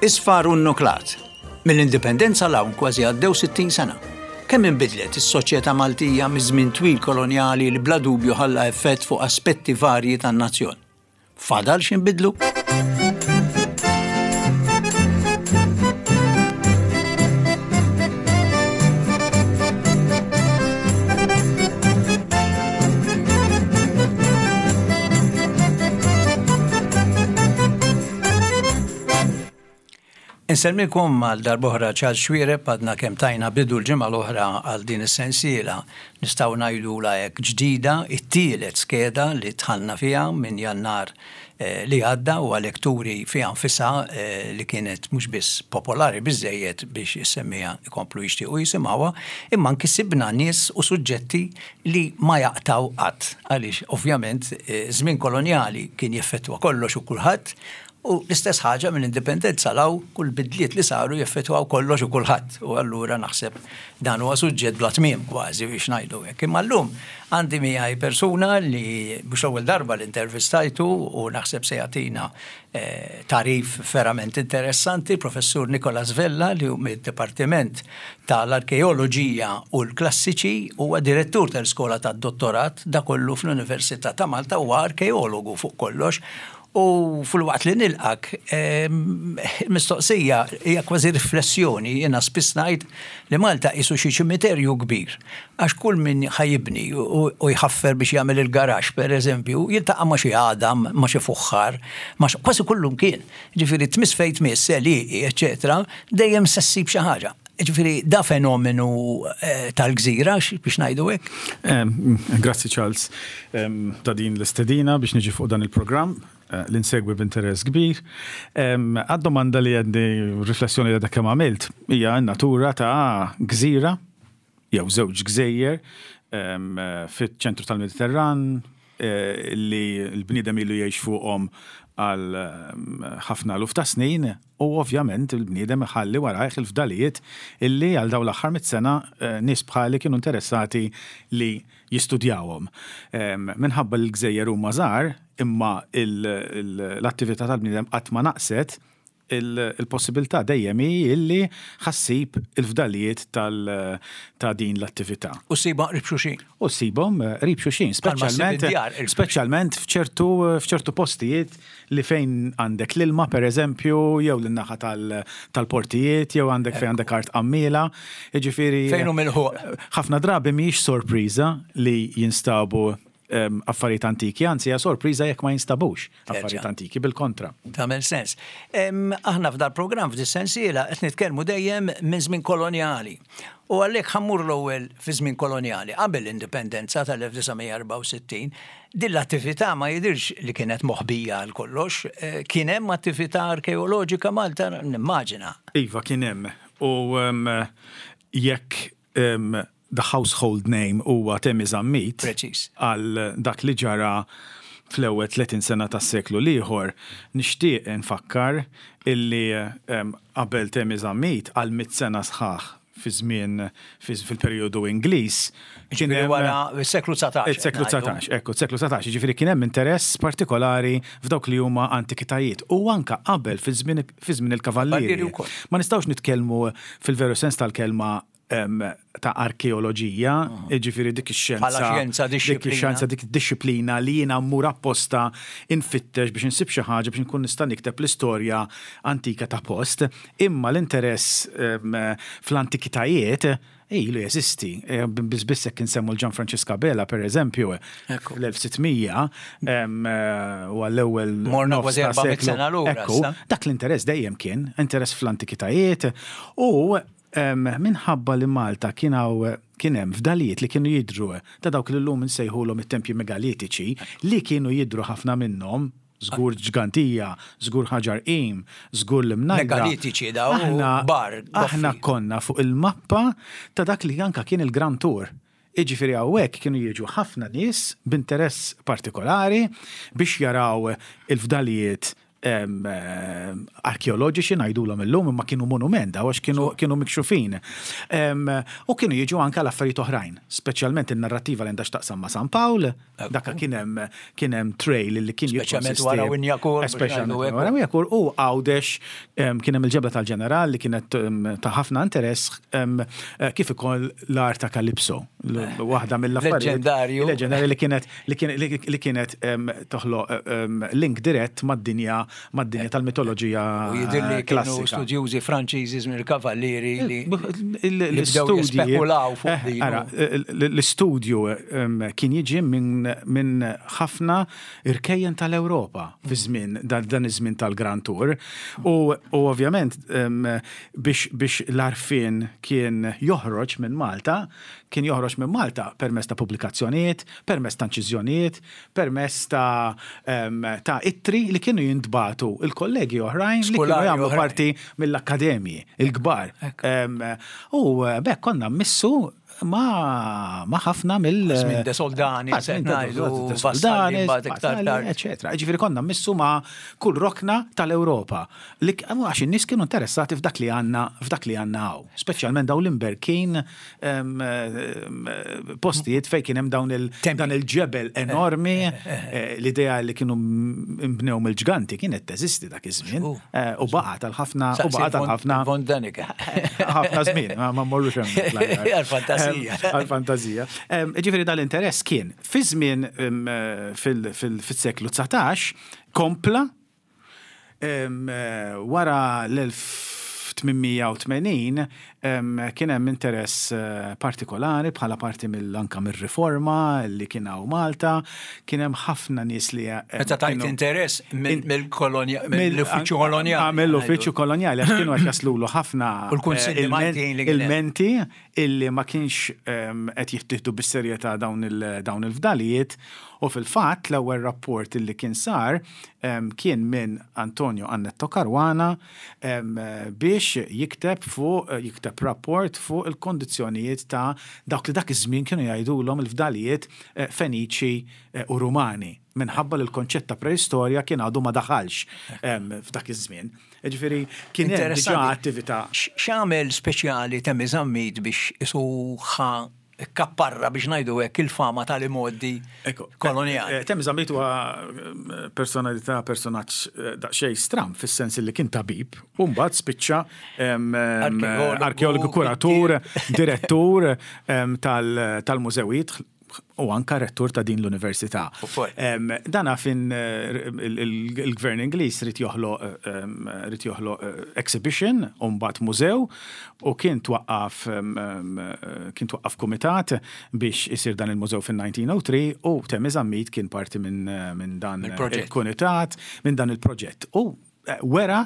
Isfar u nnuklat. Mill-Indipendenza 'l hawn kważi għaddew 60 sena. Kemm inbidlet is-soċjetà Maltija miż-żmien twil kolonjali li bla dubju ħalla effett fuq aspetti varji tan-nazzjon? Fadal x'inbidlu? Insellmilkom għal darb'oħra Charles Xuereb għadna kemm tajna bidu l-ġimgħa l-oħra għal din is-sensiela nistgħu ngħidulha hekk ġdida, it-tielet skeda li dħalna fiha minn Jannar li għadda u għalhekk turi fiha nfisha li kienet mhux biss popolari biżżejjed biex is-semmiegħa jkomplu jixtiequ jisimgħuha imma anki sibna nies u suġġetti li ma jaqtgħu qatt għaliex ovvjament żmien kolonjali kien jeffettwa kollox u kulħadd U l-istess ħaġa mill-Indipendenza 'l hawn, kull bidliet li saru jeffettwaw kollox u kulħadd. U allura naħseb dan huwa suġġett bla tmiem kważi biex ngħidu hekk. Imma llum għandi miegħi persuna li mhux l-ewwel darba li intervistajtu u naħseb se jagħtina tagħrif verament interessanti, Professur Nicholas Vella li hu mid-Dipartiment tal-Arkeoloġija u l-Klassiċi, huwa direttur tal-Iskola tad-Dottorat, da kollu fl-Università ta' Malta, huwa arkeologu fuq kollox U filwaqt li nilqgħek, il-mistoqsija hija kważi riflessjoni, jiena spiss ngħid li Malta qisu xi ċimiterju kbir, għax kull min ħa jibni u jħaffer biex jagħmel il-garaxx pereżempju, jiltaqa' ma' xi għadam, ma' xi fuħħar, ma' xi, kważi kullumkien. Jiġifieri tmiss fejn tmiss, għelieqi, eċċetera, dejjem se ssib xi ħaġa. Jiġifieri da fenomenu tal-gżira biex ngħidu hekk. Grazzi Charles ta' din l-istedina biex niġi fuq dan il-programm li nsegwi b'interess kbir. Għad-domanda li għedni riflessjoni li għadek kemm għamilt hija n-natura ta' gżira jew żewġ gżejjer fiċ-ċentru tal-Mediterran li l-bniedem ilu jgħix fuqhom għal ħafna eluf ta' snin u ovvjament il-bniedem iħalli warajh il-fdalijiet illi għal dawn l-aħħar mitt sena nies bħali kienu interessati li jistudjawhom. Minħabba li l-gżejjer huma żgħar imma l-attività tal-bniedem qatt ma naqset, il-possibilità dejjem hi illi ħa ssib il-fdalijiet ta' din l-attività. U ssibhom qrib xulxin. U ssibhom qrib xulxin, speċjalment speċjalment f'ċertu f'ċertu postijiet li fejn għandek l-ilma pereżempju, jew lin-naħa tal-portijiet, jew għandek fejn għandek art qammiela, jiġifieri. Fejn hu milħuq. Ħafna drabi mhijiex sorpriża li jinstabu affarijiet antiki, anzi hija sorpriża jekk ma jinstabux affarijiet antiki, bil-kontra. Tagħmel sens. Aħna f'dal-programm f'dis-sensiela qed nitkellmu dejjem minn żmien kolonjali. U għalhekk ħa mmur l-ewwel fi żmien kolonjali, qabel l-Indipendenza tal-1964, din l-attività ma jidhirx li kienet moħbija għal kollox. Kien hemm attività arkeoloġika Malta nimmaġina. Iva kien hemm. U jekk the household name huwa Temi Zammit għal dak li ġara fl-ewwel 30 sena tas-seklu l-ieħor, nixtieq infakkar illi qabel Temi Zammit għal mitt sena sħaħ fi żmien fil-perjodu Ingliż kien hemm wara s-seklu 19. Is-seklu 19, ekku, s-seklu 19, jiġifieri kien hemm interess partikolari f'dawk li huma antikitajiet u anke qabel fi żmien il-Kavallieri. Ma nistgħux nitkellmu fil-veru sens tal-kelma ta' arkeoloġija, jiġifieri dik ix-xjenza. Bħala xjenza, dixxiplina. Dik ix-xjenza, dik id-dixxiplina li jiena mmur apposta nfittex biex insib xi ħaġa biex inkun nista' nikteb l-istorja antika ta' post. Imma l-interess fl-antikitajiet ilu jeżisti. Biss biss jekk insemmu l-Ġan Franċisk Abela, pereżempju, fl-1600 u għall-ewwel Morna kważi 400 sena lura. Ekku, dak l-interess dejjem kien, interess fl-antikitajiet u Minħabba li Malta kien hawn kien hemm fdalijiet li kienu jidhru ta' dawk li llum insejħulhom it-tempji megalitiċi, li kienu jidhru ħafna minnhom, żgur Ġgantija, żgur Ħaġar Qim, żgur l-Imnajda. Megalitiċi dawn kbar. Aħna konna fuq il-mappa ta' dak li anke kien il-Grand Tour. Jiġifieri hawnhekk kienu jiġu ħafna nies b'interess partikolari biex jaraw il-fdalijiet. Arkeoloġiċi ngħidulhom illum imma kienu monument daw għax kienu kienu mikxufin. U kienu jiġu anke l-affarijiet oħrajn, speċjalment in-narrattiva li għandha x'taqsam ma' San Pawl, dak kien hemm kien hemm trail li kien Speċjalment wara Winjakur. Speċjalment wara Winjakur u Għawdex kien hemm il-ġebla tal-ġeneral li kienet ta' ħafna interess kif ukoll l-art ta' Calypso, waħda mill-affarijiet. Leġendarju. Leġendarju li kienet li kienet toħloq link dirett mad-dinja mad-dinja tal-mitoloġija. U jidhirli kienu studjużi Franċiżi żmien il-Kavallieri li bdew jispekulaw fuq din. Ara, l-istudju kien jiġi minn ħafna irkejjen tal-Ewropa fi żmien dan iż-żmien tal-Grand Tour. U ovvjament biex l-għarfien kien joħroġ minn Malta, Kien joħroġ minn Malta permezz ta' pubblikazzjonijiet, permezz ta' inċiżjonijiet, permezz ta' ta' ittri li kienu jintbagħtu l-kollegi oħrajn li kienu jagħmlu parti mill-akkademji l-kbar. U b'hekk konna mmissu ma' ħafna mill- Żmien De Soldani, se ngħidu, Vassalli, mbagħad iktar tard. Eċetera. Jiġifieri konna mmissu ma' kull rokna tal-Ewropa. Li għax in-nies kienu interessati f'dak li għandna f'dak li għandna hawn. Speċjalment dawn l-imberkin postijiet fejn kien hemm dawn il dan il-ġebel enormi, l-idea li kienu mbnew mill-ġganti kienet teżisti dak iż-żmien u baqgħet għal ħafna u baqgħet għal ħafna Von Däniken. ħafna żmien, ma mmorrux hemm. Għal-fantasija. Għal-fantasija. Ġifieri dal-interess kien fi żmien fis-seklu 19 kompla Wara l-1880 kien hemm interess partikolari bħala parti mill anka mir-riforma li kien hawn Malta, kien hemm ħafna nies li. Meta tgħid interess mill-kolonja, mill-uffiċċju kolonjali. Mill-uffiċċju kolonjali għax kienu qed jaslulu ħafna ilmenti illi ma kienx qed jittieħdu bis-serjetà dawn il-fdalijiet u fil-fatt l-ewwel rapport illi kien sar kien minn Antonio Annetto Caruana biex jikteb fuq jikteb rapport fuq il-kondizzjonijiet ta' dawk li dak iż-żmien kienu jgħidulhom il-fdalijiet Feniċi u Rumani minħabba li l-konċett ta' preistorja kien għadu ma daħalx f'dak iż-żmien. Jiġifieri kien hemm diġà attività. X'għamel speċjali Temi Zammit biex isu ħa kapparra biex ngħidu hekk il-fama tal-imgħoddi kolonjali? Temi Zammit huwa personalità, personaġġ daqsxejn stramb fis-sens li kien tabib u mbagħad spiċċa arkeologu, kuratur, direttur tal-mużewijiet u anka rettur ta' din l-università. Dana fin il-gvern Ingliż rid joħloq rid joħloq exhibition u mbagħad mużew u kien twaqqaf kien twaqqaf kumitat biex isir dan il-mużew fin-1903 u Temi Zammit kien parti minn dan il-kumitat, minn dan il-proġett. U wera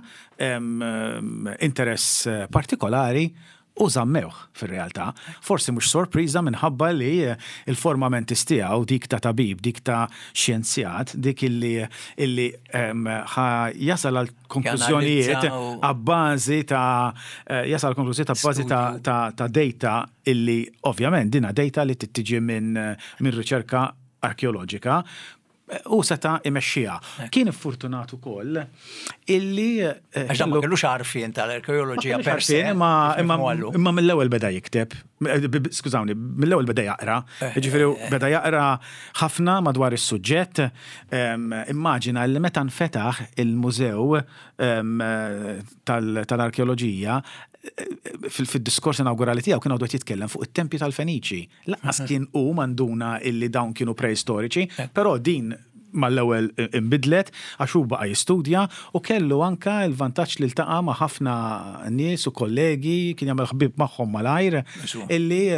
interess partikolari u żammewh fir-realtà. Forsi mhux sorpriża minħabba li l-forma mentis tiegħu, dik ta' tabib, dik ta' xjenzjat, dik illi illi ħa jasal għal konklużjonijiet abbażi ta' jasal għal konklużjonijiet abbażi ta' ta' data illi ovvjament dinha data li trid tiġi minn minn riċerka arkeoloġika Hu seta' imexxiha. Kien iffurtunat ukoll illi. Għax dan ma kellux għarfien tal-arkeoloġija per se. Imma mill-ewwel beda jikteb, skużawni, mill-ewwel beda jaqra. Jiġifieri beda jaqra ħafna madwar is-suġġett. Immaġina li meta nfetaħ il-mużew tal-arkeoloġija, fid-diskors inawgurali tiegħu kien għadu qed jitkellem fuq it-tempji tal-Feniċi. Lanqas kien hu ma nduna illi dawn kienu preistoriċi, però din mal-ewwel inbidlet għax hu baqa' jistudja u kellu anke l-vantaġġ li ltaqa' ma' ħafna nies u kollegi, kien jagħmel ħbieb magħhom malajr, illi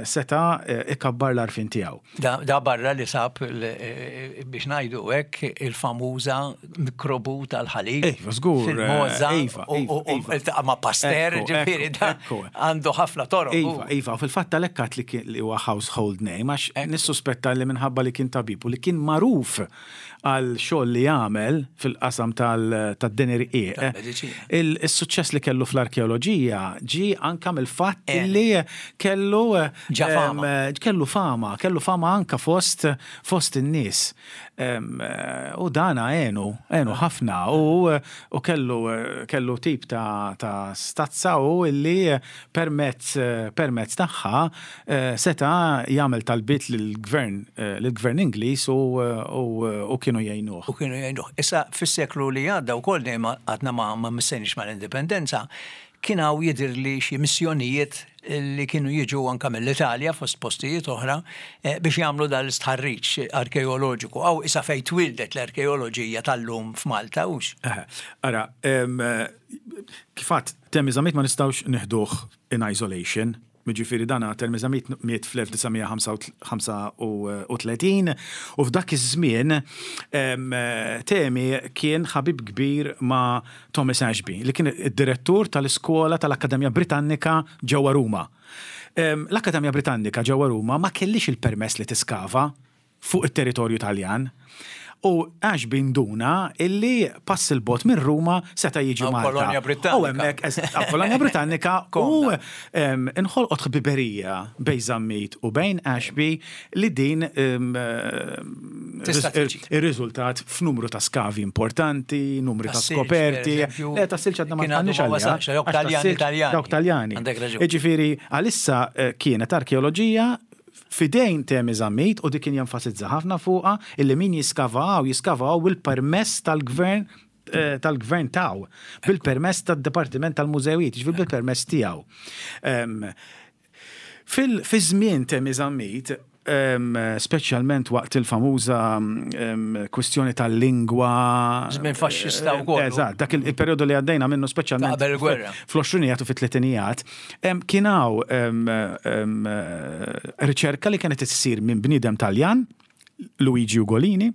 seta' ikabbar l-għarfien tiegħu. Da barra li sab, biex ngħidu hekk, il-famuża mikrobu tal-ħalib. Iva, żgur. Fil-mogħża. Iva, iva. U ltaqa' ma' Pasteur, ġifieri da għandu ħafna toroq. Iva, iva, u fil-fatt għalhekk għedt li huwa household name għax nissuspetta li minħabba li kien tabib u li kien magħruf. magħruf għal xogħol li għamel fil-qasam tad-deni rqiq, is-suċċess li kellu fl-arkeoloġija ġie anka mill-fatt li kellu kellu fama, kellu fama anka fost fost in-nies. U dana għenu, għenu ħafna u kellu kellu tip ta' stazza u illi permezz permezz tagħha seta' jagħmel talbiet lill-gvern lill-gvern Ingliż u u kienu jgħinuh. U kienu jgħinuh. Issa fis-seklu li għadda wkoll dejjem għadna ma ma missejniex mal-Indipendenza, kien hawn jidhirli xi missjonijiet li kienu jiġu anke mill-Italja fost postijiet oħra biex jagħmlu dan l-istħarriġ arkeoloġiku. Hawn issa fejn twieldet l-arkeoloġija tal-lum f'Malta, hux? Ara, kif għedt, Temi Zammit ma nistgħux nieħduh in isolation. Jiġifieri dan Temi Zammit miet fl-1935 u f'dak iż-żmien Temi kien ħabib kbir ma' Thomas Ashby, li kien id-direttur tal-iskola tal-Akkademja Britannika ġewwa Ruma. L-Akkademja Britannika ġewwa Ruma ma kellhiex il-permess li tiskava fuq it-territorju Taljan. U Ashby nduna illi pass 'il bogħod minn Ruma seta' jiġi Malta. Kolonja Britannika. U hemmhekk, kolonja Britannika u nħolqot ħbiberija bejn Zammit u bejn Ashby li din irriżultat f'numru ta' skavi importanti, numri ta' skoperti. Le, tas-silġ għadna ma tħannix għalija. Dawk Taljani. Jiġifieri għalissa kienet arkeoloġija f'idejn Temi Zammit u dik kien jenfasizza ħafna fuqha illi min jiskava hawn jiskava hawn bil-permess tal-gvern tal-gvern tiegħu, bil-permess tad-Dipartiment tal-Mużewijiet, jiġifieri bil-permess tiegħu. Fi żmien Temi Zammit, speċjalment waqt il-famuża kwistjoni tal-lingwa. Żmien faxxista wkoll. Eżatt, dak il-perjodu li għaddejna minnu speċjalment. Qabel il-gwerra. Fl-għoxrinijat u fit-tletinijat, kien hawn riċerka li kienet issir minn bniedem Taljan, Luigi Ugolini,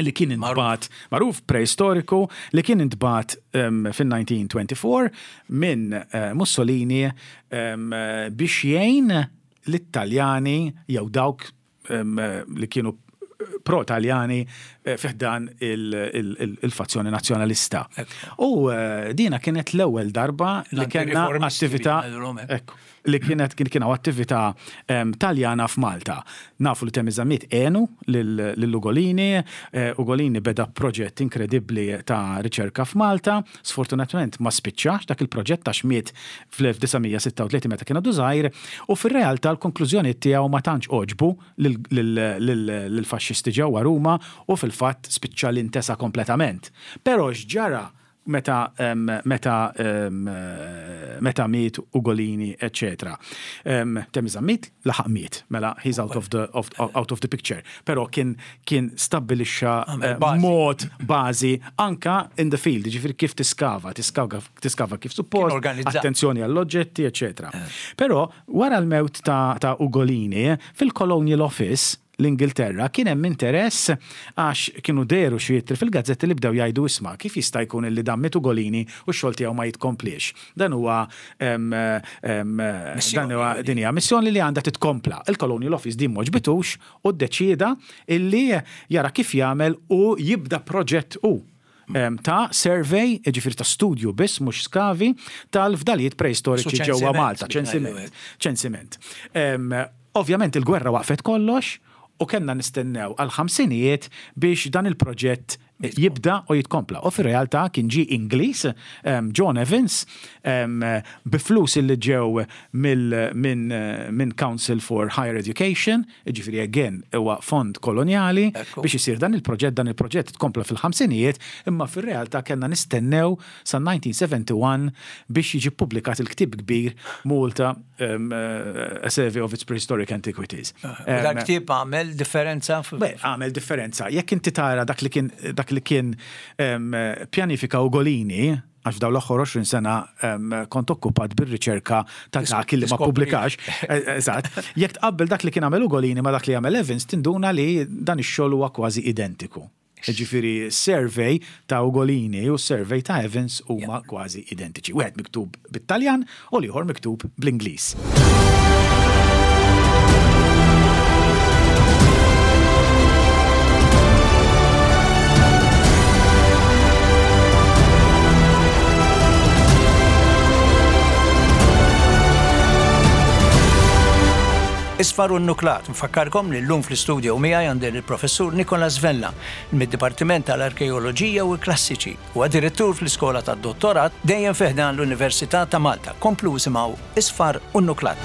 li kien intbagħat, magħruf preistoriku, li kien intbagħat fin-1924 minn Mussolini biex jgħin lit-Taljani jew dawk li kienu pro-Taljani fi ħdan il-fazzjoni nazzjonalista. U dina kienet l-ewwel darba li kellna attività li kienet kien hawn attività Taljana f'Malta. Nafu li Temi Zammit għenu lil Ugolini, Ugolini beda proġett inkredibbli ta' riċerka f'Malta, sfortunatament ma spiċċax dak il-proġett għax miet fl-1936 meta kien għadu żgħir u fir-realtà l-konklużjonijiet tiegħu ma tantx għoġbu lill-faxxisti ġewwa Ruma u fil-fatt spiċċa li ntesa kompletament. Però x'ġara meta meta meta miet Ugolini eċċetera. Temi Zammit laħaq miet, mela he's out of the of, out of the picture. Però kien kien stabbilixxa mod bażi anka in the field, ġifieri kif tiskava, tiskava tiskava kif suppost, attenzjoni għall-oġġetti, eċċetera. Però wara l-mewt ta', ta Ugolini fil-Colonial Office l-Ingilterra, kien hemm interess għax kienu dehru xi ittri fil-gazzetti li bdew jgħidu isma' kif jista' jkun illi dan miet Ugolini u x-xogħol tiegħu ma jitkompliex. Dan huwa dan huwa din hija missjoni li għandha titkompla. Il-Colonial Office din m'għoġbitux u ddeċieda illi jara kif jagħmel u jibda proġett hu ta' survey, jiġifieri ta' studju biss mhux skavi, tal-fdalijiet preistoriċi ġewwa Malta, ċensiment. Ċensiment. Ovvjament il-gwerra waqfet kollox u kellna nistennew għall-ħamsinijiet biex dan il-proġett jibda u jitkompla. U fir-realtà kien ġie Ingliż, John Evans, bi flus illi ġew minn Council for Higher Education, jiġifieri again huwa fond kolonjali, biex isir dan il-proġett. Dan il-proġett tkompla fil-ħamsinijiet, imma fir-realtà kellna nistennew sa 1971 biex jiġi ppubblikat il-ktieb kbir Malta A Survey of its Prehistoric Antiquities. U dak ktieb għamel differenza? Beh, għamel differenza. Jekk inti tara dak li kien dak li kien pjanifika Ugolini, għax f'dawn l-aħħar 20 sena kont okkupat bir-riċerka ta' dak li ma ppubblikax. Eżatt. Jekk tqabbel dak li kien għamel Ugolini ma' dak li għamel Evans, tinduna li dan ix-xogħol huwa kważi identiku. Jiġifieri s-survey ta' Ugolini u s-survey ta' Evans huma kważi identiċi. Wieħed miktub bit-Taljan u l-ieħor miktub bl-Ingliż. Isfar u Nuklat. Nfakkarkom li llum fl-istudio miegħi għandi lill-Professur Nicholas Vella mid-Dipartiment tal-Arkeoloġija u l-Klassiċi. Huwa direttur fl-Iskola tad-Dottorat dejjem fi ħdan l-Università ta' Malta. Komplu isimgħu Isfar u Nuklat.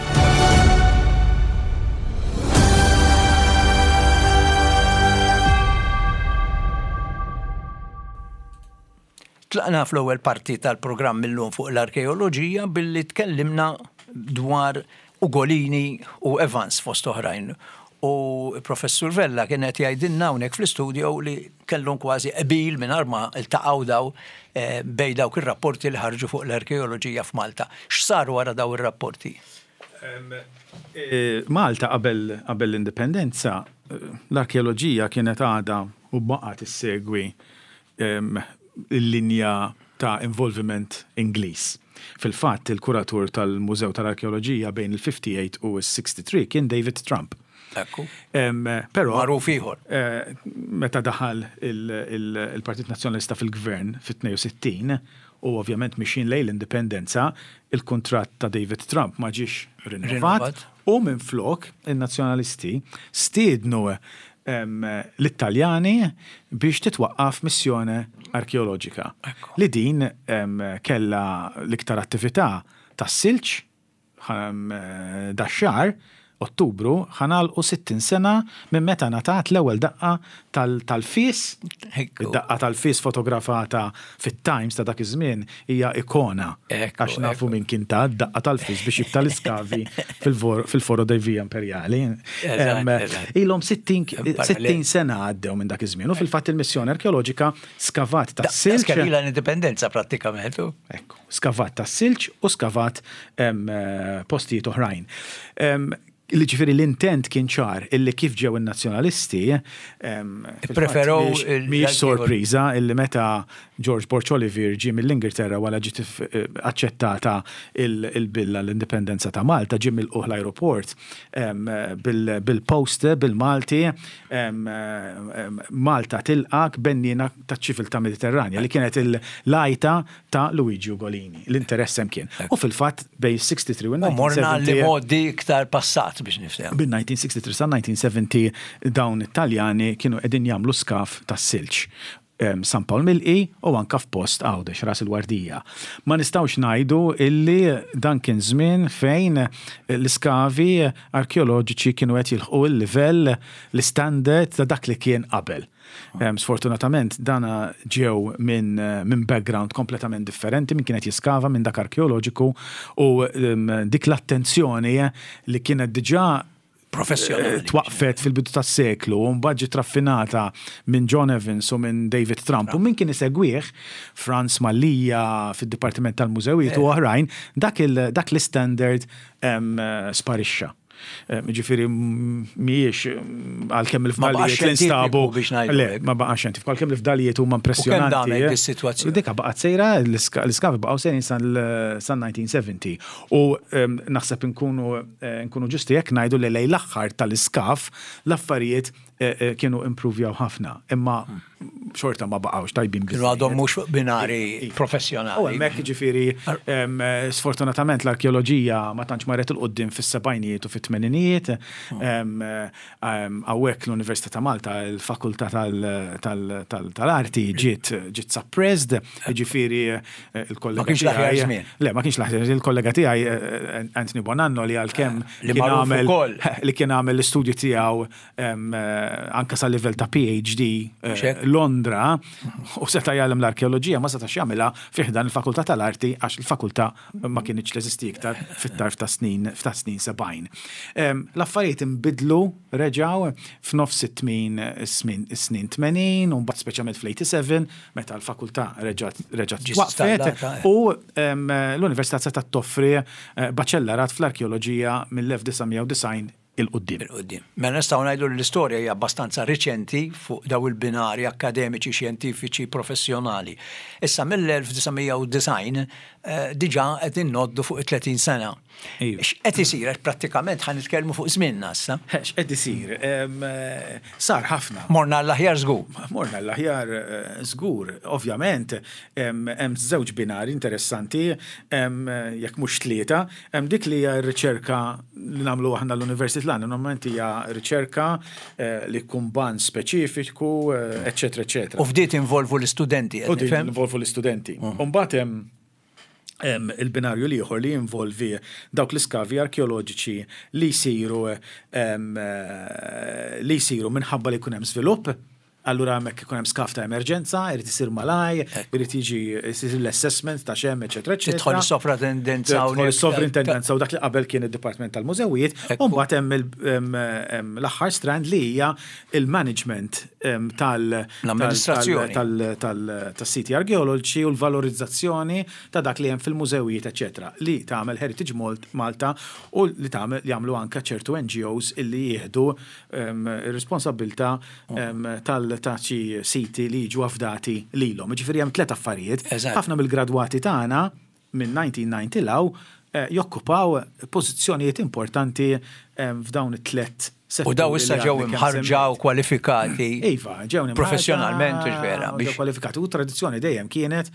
Tlaqna fl-ewwel parti tal-programm illum fuq l-arkeoloġija billi tkellimna dwar Ugolini u Evans fost oħrajn. U Professur Vella kien qed jgħidilna hawnhekk fl-istudio li kellhom kważi qbil mingħajr ma ltaqgħu daw eh, bejn dawk ir-rapporti li ħarġu fuq l-arkeoloġija f'Malta. X'sar wara daw ir-rapporti? Eh, Malta qabel l-indipendenza, eh, l-arkeoloġija kienet għadha u baqgħet issegwi il-linja ta' involviment Ingliż. Fil-fatt, il-kuratur tal-Mużew tal-Arkeoloġija bejn il-58 u s-63 kien David Trump. Ekku. Però. Magħruf ieħor. Meta daħal il-Partit Nazzjonalista fil-Gvern fit-62 u ovvjament mixjin lejn l-Indipendenza, il-kuntratt ta' David Trump ma ġiex rinnovat u minflok in-Nazzjonalisti stiednu lit-Taljani biex titwaqqaf missjone arkeoloġika li din kellha l-iktar attività tas-silġ dax-xahar, Ottubru, ħa nagħlqu 60 sena minn meta ngħatat l-ewwel daqqa tal-fies, id-daqqa tal-fies fotografata fit-Times ta' dak iż-żmien hija ikona għax nafu min kien ta d-daqqa tal-fies biex jibta l-iskavi fil-Foro dei Via Imperiali. Ilhom 60 sena għaddew minn dak iż-żmien u fil-fatt il-missjoni arkeoloġika skavat tas-silġ. Daqs kemm ilha l-indipendenza prattikament. Ekku, skavat tas-silġ u skavat postijiet oħrajn. Jiġifieri l-intent kien ċar illi kif ġew in-Nazzjonalisti, Preferow mhijiex sorpriża illi meta George Borg Olivier ġie mill-Ingilterra wara ġiet aċċettata il-bill għall-indipendenza ta' Malta, ġie milqugħ l-ajruport bil-poster bil-Malti Malta tilqgħek benniena taċ-ċiviltà Mediterranja li kienet l-għajta ta' Luigi Ugolini. L-interess hemm kien. U fil-fatt bejn 63 u 1970. Morna li modi iktar passat biex niftehmu. Bin 1963 sa 1970 dawn it-Taljani kienu qegħdin jagħmlu skaf tas-silġ. San Pawl Milqi u anka f'post Għawdex, Ras il-Wardija. Ma nistgħux ngħidu illi dan kien żmien fejn l-iskavi arkeoloġiċi kienu qed jilħqu l-livell, l-istandard ta' dak li kien qabel. Sfortunatament dana ġew minn min background kompletament differenti minn kienet jiskava minn dak arkeoloġiku u dik l-attenzjoni li kienet diġà professjonali twaqfet fil-bidu tas-seklu u mbagħad ġiet raffinata minn John Evans u minn David Trump u min kien isegwih Franz Mallia fid-Dipartiment tal-Mużewijiet u oħrajn dak l-istandard sparixxa. Ġifieri mhijiex għalkemm il-fdalijiet li nstabu. Le, ma baqax xjentifiku, għalkemm il-fdalijiet huma impressjonanti. U kemm damet is-sitwazzjoni? Dika baqgħet sejra, l-iskavi baqgħu sejrin sal-1970. U naħseb inkunu nkunu ġusti jekk ngħidu li lejn l-aħħar tal-iskaf l-affarijiet kienu impruvjaw ħafna, imma xorta ma baqgħux tajbin Kienu għadhom mhux fuq binari professjonali. U hemmhekk jiġifieri sfortunatament l-arkeoloġija ma tantx marret 'il quddiem fis-sebgħinijiet u fit-tmeninijiet. Hawnhekk l-Università ta' Malta, il-Fakultà tal-Arti ġiet ġiet suppressed, jiġifieri il-kollega. Ma kienx l-aħjar żmien. Le, ma kienx l-aħjar żmien. Il-kollega tiegħi Anthony Bonanno li għalkemm kien għamel li kien għamel l-istudju tiegħu anke sa livell ta' PhD eh, Londra u seta' jgħallem l-arkeoloġija ma setax jagħmilha fi ħdan il-Fakultà tal-Arti għax il-fakultà ma kinitx teżisti iktar fit-tarf ta' snin ta' snin 70. L-affarijiet inbidlu reġgħu f'nofs it-tmin snin 80 u mbagħad speċjalment fl-87 meta l-fakultà reġgħet reġgħet twaqqfet u l-Università setgħet toffri eh, baċellarat fl-arkeoloġija mill-1990 'il quddiem. 'Il quddiem. Mela nistgħu ngħidu li l-istorja hija abbastanza riċenti fuq dawn il-binari akkademiċi, xjentifiċi, professjonali. Issa mill-1990 diġà qed ingħoddu fuq it-30 sena. X'qed isir? Għax prattikament ħa nitkellmu fuq żmienna issa. X'qed isir? Sar ħafna. Morna għall-aħjar żgur. Morna għall-aħjar żgur. Ovvjament hemm żewġ binari interessanti, jekk mhux tlieta. Hemm dik li hija r-riċerka li nagħmlu aħna l-università. titlaqna normalment hija riċerka li jkun ban speċifiku, eċċetera, eċċetera. U f'di tinvolvu l-istudenti, qed nifhem? U din involvu l-istudenti. U mbagħad hemm il-binarju l-ieħor li jinvolvi dawk l-iskavi arkeoloġiċi li jsiru li jsiru minħabba li jkun hemm żvilupp. Allura hemmhekk ikun hemm skav ta' emerġenza, irid isir malaj, irid jiġi jsir l-assessment ta' x'hemm, eċetera, eċetera. Tidħol is-sovratendenza hawnhekk. Tidħol is-sovrintendenza u dak li qabel kien id-Dipartiment tal-Mużewijiet, u mbagħad hemm l-aħħar strand li hija il-management tal- L-amministrazzjoni. tas-siti arkeoloġiċi u l-valorizzazzjoni ta' dak li hemm fil-mużewijiet, eċetera, li tagħmel Heritage Malta u li tagħmel jagħmlu anke ċertu NGOs illi jieħdu ir-responsabbiltà tal ta' xi siti li jiġu afdati lilhom. Jiġifieri hemm tlett affarijiet. Ħafna mill-gradwati tagħna minn 1990 'l hawn jokkupaw pożizzjonijiet importanti f'dawn it-tlett setturi. U dawn issa ġew imħarrġa u kwalifikati. Iva, ġew imħarrġa. Professjonalment, hux vera? Ġew kwalifikati. U t-tradizzjoni dejjem kienet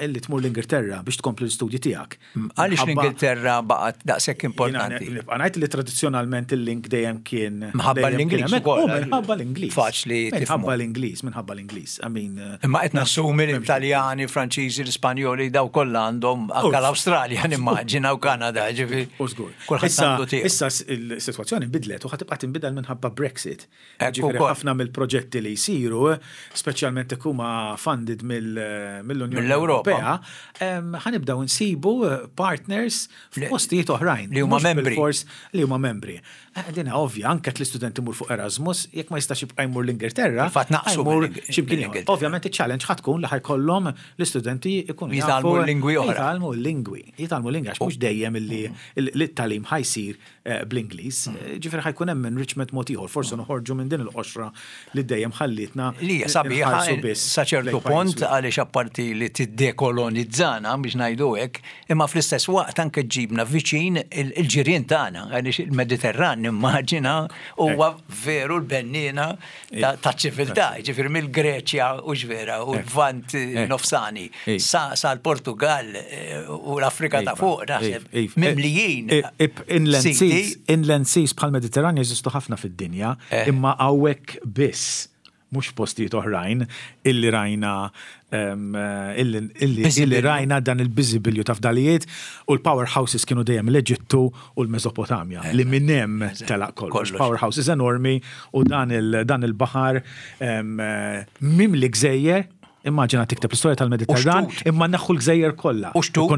illi tmur l-Ingilterra biex tkompli l-istudji tiegħek. Għaliex l-Ingilterra baqgħet daqshekk importanti? Jiena nibqa' ngħid li tradizzjonalment il-link dejjem kien. Minħabba l-Ingliż ukoll. U minħabba l-Ingliż. Faċli tifhmu. Minħabba l-Ingliż, minħabba l-Ingliż. I mean. Imma qed nassumi li l-Taljani, Franċiżi, l-Ispanjoli daw kollha għandhom anke l-Awstralja nimmaġina u Kanada, ġifieri. U żgur. Kulħadd għandu tiegħu. Issa s-sitwazzjoni nbidlet u ħa tibqa' tinbidel minħabba Brexit. Ġifieri ħafna mill-proġetti li jsiru, speċjalment jekk huma funded mill-Unjoni Ewropea, ħa nibdew insibu partners f'postijiet oħrajn. Li huma membri. Bilfors li huma membri. Din hija ovvja, anke jekk l-istudent imur fuq Erasmus, jekk ma jistax jibqa' jmur l-Ingilterra, Fil-fatt naqsu jmur xi mkien ieħor. Ovvjament iċ-challenge ħa tkun li ħa jkollhom l-istudenti jkunu jafu. Jitgħallmu l-lingwi oħra. Jitgħallmu l-lingwi. Jitgħallmu l-lingwi għax mhux dejjem illi t-tagħlim ħa jsir bl-Ingliż. Ġifieri ħa jkun hemm enrichment mod ieħor, forsi noħorġu minn din il-qoxra li dejjem ħallietna Li hija sabiħa sa ċertu punt għaliex apparti li tiddekolonizzana biex ngħidu hekk, imma fl-istess waqt anke ġġibna viċin il-ġirien tagħna għaliex il-Mediterran nimmaġina huwa veru l-benniena taċ-ċiviltà, jiġifieri mill-Greċja hux vera u l-Lvant Nofsani sa sal-Portugall u l-Afrika ta' fuq naħseb mimlijin. Inland seas, inland seas bħall-Mediterran jeżistu ħafna fid-dinja, imma hawnhekk biss mhux f'postijiet oħrajn illi rajna illi rajna dan il-biżibilju ta' fdalijiet u l-powerhouses kienu dejjem l-Eġittu u l-Mesopotamja li minn hemm telaq kollox. Powerhouses enormi u dan il-baħar mimli gżejjer Immaġina tikteb l-istorja tal-Mediterran imma neħħu l-gżejjer kollha. U xtut,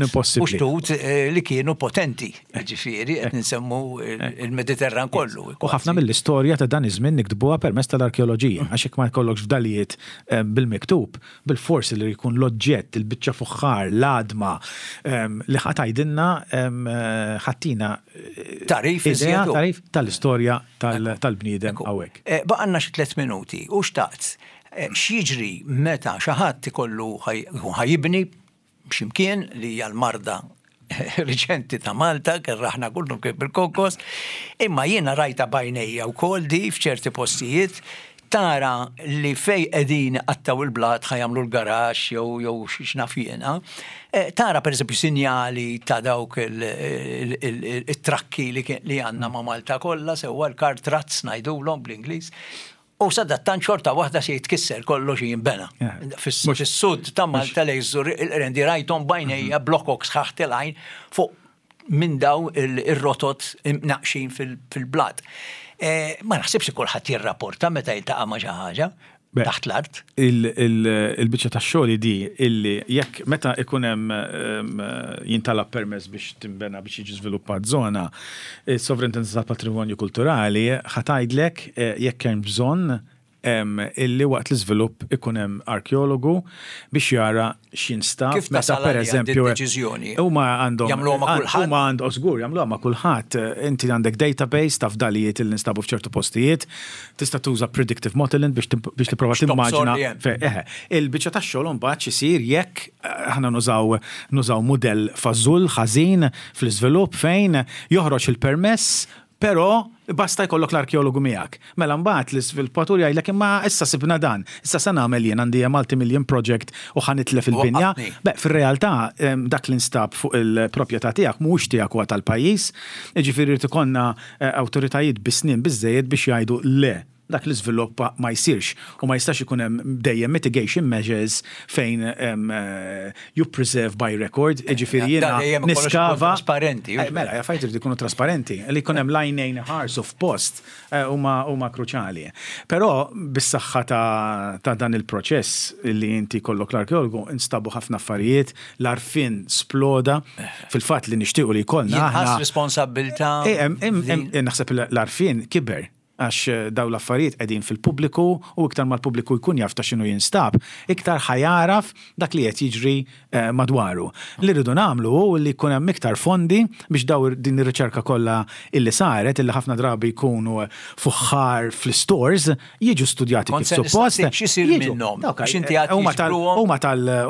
u xtut li kienu potenti, ġifieri qed nsemmu il-Mediterran kollu. U ħafna mill-istorja ta' dan iż-żmien niktbuha permezz tal-arkeoloġija, għax jekk ma jkollokx fdalijiet bil-miktub, bilfors li jkun l-oġġett, il-biċċa fuħħar, l-għadma li ħa tgħidilna ħa ttina Tagħrif idea, tagħrif tal-istorja tal-bniedem hawnhekk. Baqgħalna xi tlett minuti u xtaqt X'jiġri meta xi ħadd ikollu jkun ħa jibni xi mkien li hija l-marda riċenti ta' Malta, kerraħna kullu kif bil-konkos, imma jiena rajta b'għajnejja wkoll di f'ċerti postijiet tara li fej qegħdin iqattgħu il-blat ħa jagħmlu l-garaxx jew jew x'naf jiena, tara pereżempju sinjali ta' dawk it-trakki li għandna ma' Malta kollha sewwa l-car trucks ngħidulhom bl-Ingliż. U sadattant xorta waħda se jitkisser kollox jinbena. Fis-sud ta' Malta lejn Żurrieq il-Qrendi rajthom b'għajnejja blokok sħaħ tilgħin fuq minn daw ir-rotot imnaqqxin fil-blat. Ma naħsibx li kulħadd jirrapporta meta jiltaqa' ma' xi ħaġa taħt l-art. Il-biċċa tax-xogħol hi di illi jekk meta ikun hemm jintalab permess biex tinbena biex jiġi żviluppat żona, Is-Sovrintendenza tal-Patrimonju Kulturali ħa tgħidlek jekk hemm bżonn illi waqt l-iżvilupp ikun hemm arkeologu biex jara x'jinstab. Kif tasal għaliha din id-deċiżjoni? Huma għandhom. Jagħmluha ma' kulħadd? Huma għandhom, żgur, jagħmluha ma' kulħadd. Inti għandek database ta' fdalijiet illi nstabu f'ċertu postijiet. Tista' tuża predictive modeling biex tipprova timmaġina. Eħe. Il-biċċa tax-xogħol imbagħad x'isir jekk aħna nużaw nużaw mudell fażull ħażin fl-iżvilupp fejn joħroġ il-permess. Però basta jkollok l-arkeologu miegħek. Mela mbagħad l-iżviluppatur jgħidlek imma issa sibna dan, issa se nagħmel jien għandi multi-million project u ħa nitlef il-binja. Beh, fir-realtà dak li nstab fuq il-proprjetà tiegħek mhuwiex tiegħek huwa tal-pajjiż. Jiġifieri jrid ikollna awtoritajiet bi snien biżżejjed biex jgħidu le, dak l-iżvilupp ma jsirx u ma jistax ikun hemm dejjem mitigation measures fejn you preserve by record, jiġifieri jiena niskava. Trasparenti. Mela, affarijiet iridu jkunu trasparenti, li jkun hemm l-għajnejn iħarsu f'post huma kruċjali. Però bis-saħħa ta' dan il-proċess li inti jkollok l-arkeologu instabu ħafna affarijiet, l-għarfien sploda, fil-fatt li nixtiequ li jkollna aħna. Jinħass responsabbiltà. Naħseb l-għarfien kiber. Għax dawn l-affarijiet qegħdin fil-pubbliku u iktar ma l-pubbliku jkun jaf ta' x'inhu jinstab, iktar ħa jagħraf dak li qed jiġri madwaru. Li rridu nagħmlu hu li jkun hemm iktar fondi biex dawn din ir-riċerka kollha illi saret, illi ħafna drabi jkunu fuħħar fl-istores, jiġu studjati kif suppost. Kont se nistaqsik x'isir minnhom, għax inti għedt jiġbruhom.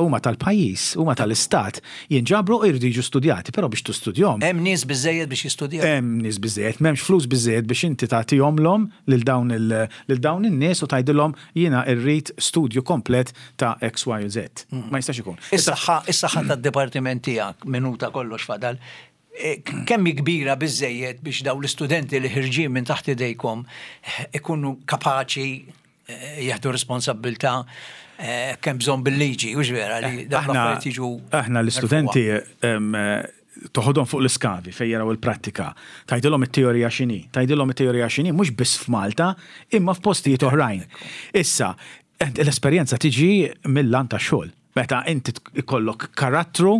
Huma tal-pajjiż, huma tal-istat. Jinġabru u jridu jiġu studjati, però biex tistudjhom. Hemm nies biżżejjed biex jistudjaw? Hemm nies biżżejjed, m'hemmx flus biżżejjed biex inti tagħtihomlhom lil dawn lil dawn in-nies u tgħidilhom jiena rrid studju komplet ta' X, Y u Z. Ma jistax ikun. Is-saħħa, is-saħħa tad-dipartiment tiegħek, minuta kollox fadal, kemm hi kbira biżżejjed biex dawn l-istudenti li ħirġin minn taħt idejkom ikunu kapaċi jieħdu responsabbiltà kemm bżonn bil-liġi, hux vera li dawn l-affarijiet jiġu. Aħna l-istudenti toħodhom fuq l-iskavi fejn jaraw il-prattika, tgħidilhom it-teorija x'inhi, tgħidilhom it-teorija x'inhi mhux biss f'Malta imma f'postijiet oħrajn. Issa, l-esperjenza tiġi mill-lant tax-xogħol. Meta inti jkollok karattru,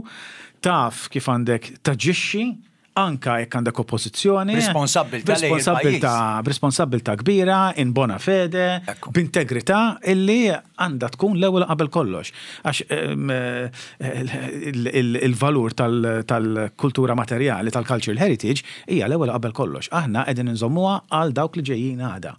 taf kif għandek taġixxi, anka jekk għandek oppożizzjoni. B'responsabbiltà lejn il-pajjiż. B'responsabbiltà kbira, in bona fede, b'integrità illi għandha tkun l-ewwel qabel kollox. Għax il-valur tal-kultura materjali, tal-cultural heritage, hija l-ewwel qabel kollox. Aħna qegħdin inżommuha għal dawk li ġejjin għada.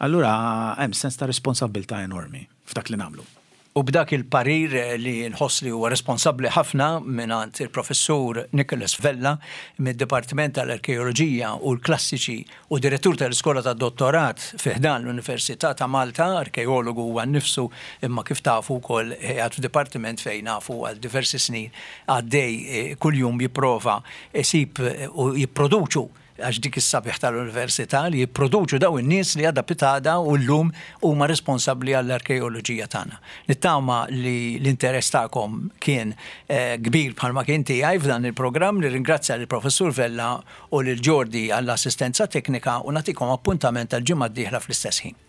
Allura hemm sens ta' responsabbiltà enormi f'dak li nagħmlu. U b'dak il-parir li nħoss li huwa responsabbli ħafna mingħand il-Professur Nicholas Vella mid-Dipartiment tal-Arkeoloġija u l-Klassiċi u Direttur tal-Iskola tad-Dottorat fi ħdan l-Università ta' Malta, arkeologu huwa nnifsu imma kif tafu wkoll qiegħed f'dipartiment fejn nafu għal diversi snin għaddej kuljum jipprova jsib u jipproduċu għax dik is-sabiħ tal-università li jipproduċu dawn in-nies li għada pitgħada u llum huma responsabbli għall-arkeoloġija tagħna. Nittama li l-interess tagħkom kien kbir bħalma kien tiegħi f'dan il-programm. Nirringrazzja lill-Professur Vella u lil Jordi għall-assistenza teknika u nagħtikom appuntament għall-ġimgħa d-dieħla fl-istess ħin.